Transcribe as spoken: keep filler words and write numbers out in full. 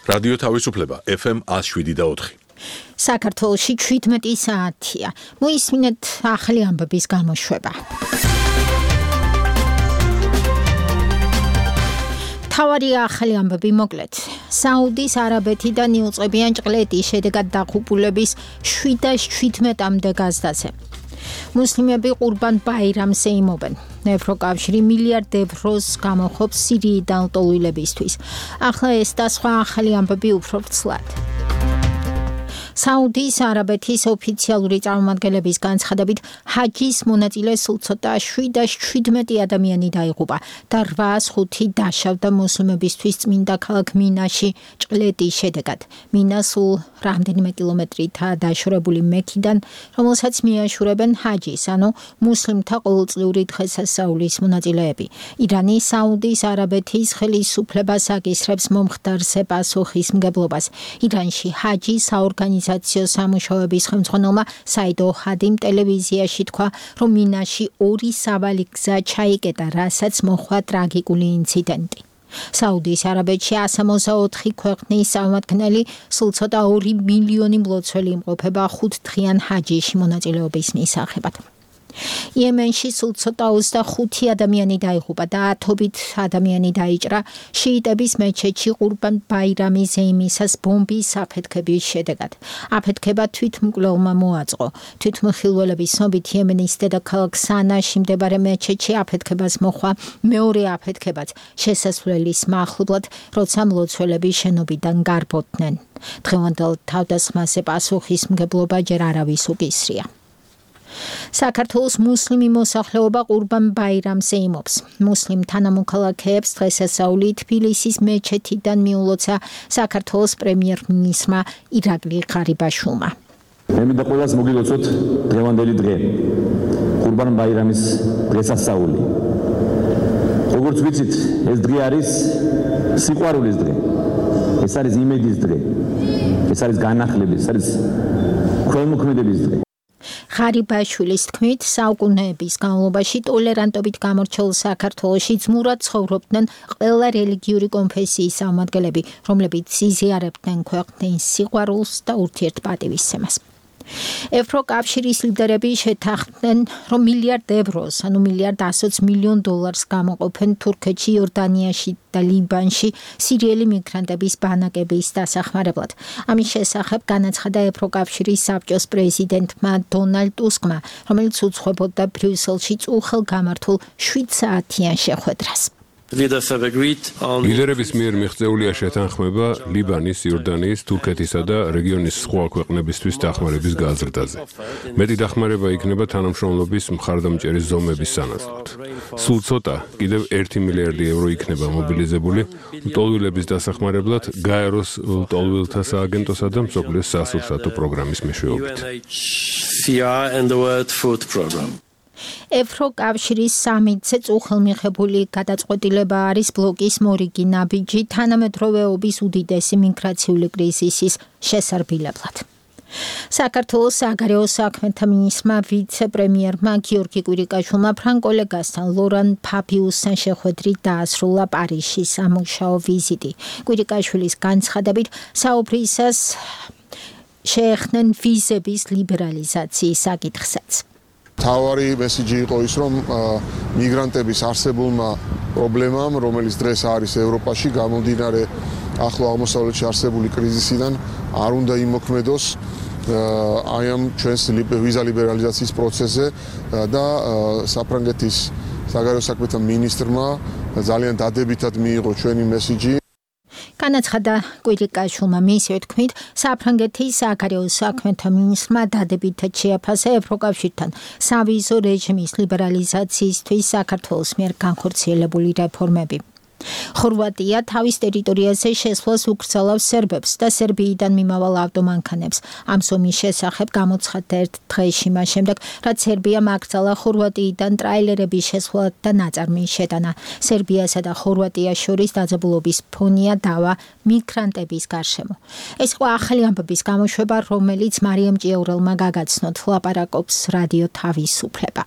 რადიო თავისუფლება ეფ ემ ათს შვიდი და ოთხი. საქართველოში ჩვიდმეტი საათია. მოისმინეთ ახალი ამბების გამოშვება. თავარი ახალი ამბები მოკლედ. საუდის არაბეთიდან იუწყებიან ჭყლეტის შედეგად დაღუპულების შვიდას შვიდმეტამდე გაზდაზე. მუსლიმები ყურბან ბაირამს ეიმობენ. ევროკავშირი მილიარდ ევროს გამოხობს სირიიდან ლტოლვილებისთვის. ახლა ეს და სხვა ახალი ამბები უფრო ვრცლად. საუდის არაბეთის ოფიციალური წარმომადგენლების განცხადებით, ჰაჯის მონაწილე სულ ცოტა შვიდას შვიდმეტი ადამიანი დაიღუპა და რვაას ხუთი დაშავდა მუსლიმებისთვის წმინდა ქალაქ მინაში ჭყლეტის შედეგად. მინა სულ რამდენიმე კილომეტრითაა დაშორებული მექიდან, რომელსაც მიაშურებენ ჰაჯის, ანუ მუსლიმთა ყოველწლიური დღესასწაულის მონაწილეები. ირანი საუდის არაბეთის ხელისუფლებას აკისრებს მომხდარზე პასუხისმგებლობას. ირანში ჰაჯის საორგანიზაციო სამუშაოების ხელმძღვანელმა საიდ ოჰადიმ ტელევიზიაში თქვა, რომ მინაში ორი სავალი გზა ჩაიკეტა, რასაც მოჰყვა ტრაგიკული ინციდენტი. საუდის არაბეთში ასამოცდაოთხი ქვეყნის წარმომადგენელი სულ ცოტა ორი მილიონი მლოცველი იმყოფება ხუთდღიან ჰაჯიში მონაწილეობის მისაღებად. იემენში სულ ცოტა ოცდახუთი ადამიანი დაიღუპა და ათობით ადამიანი დაიჭრა შიიტების მეჩეთში ყურბან ბაირამის ზეიმისას ბომბის აფეთქების შედეგად. აფეთქება თვითმკვლელმა მოაწყო. თვითმხილველების ცნობით იემენის დედაქალაქ სანაში მდებარე მეჩეთში აფეთქებას მოჰყვა მეორე აფეთქებაც შესასვლელის მახლობლად, როცა მლოცველები შენობიდან გარბოდნენ. დღევანდელ თავდასხმაზე პასუხისმგებლობა ჯერ არავის უკისრია. საქართველოს მუსლიმი მოსახლეობა ყურბან ბაირამს ეიმობს. მუსლიმ თანამოქალაქეებს დღესასწაული თბილისის მეჩეთიდან მიულოცა საქართველოს პრემიერ-მინისტრმა ირაკლი ღარიბაშვილმა. მე მინდა ყველას მოგილოცოთ დღევანდელი დღე. ყურბან ბაირამის დღესასწაული. როგორც ვიცით, ეს დღე არის სიყვარულის დღე. ეს არის იმედის დღე. ეს არის განახლების, ეს არის ქველმოქმედების დღე. ღარიბაშვილის თქმით, საუკუნეების განმავლობაში ტოლერანტობით გამორჩეულ საქართველოში ძმურად ცხოვრობდნენ ყველა რელიგიური კონფესიის წარმომადგენლები, რომლებიც იზიარებდნენ ქვეყნის სიყვარულს და ურთიერთპატივისცემას. ევროკავშირის ლიდერები შეთანხმდნენ, რომ მილიარდ ევროს, ანუ მილიარდ ასოც მილიონ დოლარს გამოყოფენ თურქეთში, იორდანიაში და ლიბანში სირიელი მიგრანტების ბანაკების დასახმარებლად. ამის შესახებ განაცხადა ევროკავშირის საბჭოს პრეზიდენტმა დონალდ ტუსკმა, რომელიც უძღვებოდა ბრიუსელში წუხელგამართულ შვიდსაათიან შეხვედრას. ლიდერების მიერ მიღწეულია შეთანხმება ლიბანის, იორდანიის, თურქეთისა და რეგიონის სხვა ქვეყნებისთვის დახმარების გაზრდაზე. მეტი დახმარება იქნება თანამშრომლობის მხარდამჭერი ზომების სანაცვლოდ. სულ ცოტა, კიდევ ერთი მილიარდი ევრო იქნება მობილიზებული ლტოლვილების დასახმარებლად გაეროს ლტოლვილთა სააგენტოსა და მსოფლიოს სასურსათო პროგრამის მეშვეობით. ევროკავშირის სამიტზე წუხელმიღებული გადაწყვეტილება არის ბლოკის მორიგი ნაბიჯი თანამედროვეობის უდიდესი მიგრაციული კრიზისის შესარბილებლად. საქართველოს საგარეო საქმეთა მინისტრმა ვიცე-პრემიერმა გიორგი კვირიკაშვილმა ფრანგ-კოლეგასთან ლორან ფაბიუსთან შეხვედრით დაასრულა პარიზში სამუშაო ვიზიტი. კვირიკაშვილის განცხადებით, საუბრისას შეეხნენ ვიზების ლიბერალიზაციის საკითხსაც. თავარი მესიჯი იყო ის, რომ მიგრანტების არსებულმა პრობლემამ, რომელიც დღეს არის ევროპაში, გამომდინარე ახლო აღმოსავლეთში არსებული კრიზისიდან, არ უნდა იმოქმედოს აი ამ ჩვენს ვიზა ლიბერალიზაციის პროცესზე და საფრანგეთის საგარეო საქმეთა მინისტრმა ძალიან დადებითად მიიღო ჩვენი მესიჯი. განაცხადა კვირიკაშვილმა მისივე თქმით, საფრანგეთის საგარეო საქმეთა მინისტრმა დადებითად შეაფასა ევროკავშირთან სავიზო რეჟიმის ლიბერალიზაციისთვის საქართველოს მიერ განხორციელებული რეფორმები. ხორვატია თავის ტერიტორიაზე შესვლას უკრძალავს სერბებს და სერბიიდან მიმავალ ავტომანქანებს. ამ ზომის შესახებ გამოცხადდა ერთ დღეში მას შემდეგ, რაც სერბიამ აკრძალა ხორვატიიდან ტრაილერების შესვლა და ნაწარმის შეტანა. სერბიასა და ხორვატიას შორის დაძაბულობის ფონია დავა მიგრანტების გარშემო. ეს იყო ახალი ამბების გამოშვება, რომელიც მარიამ ჭიაურელმა გაგაცნოთ. ლაპარაკობს რადიო თავისუფლება.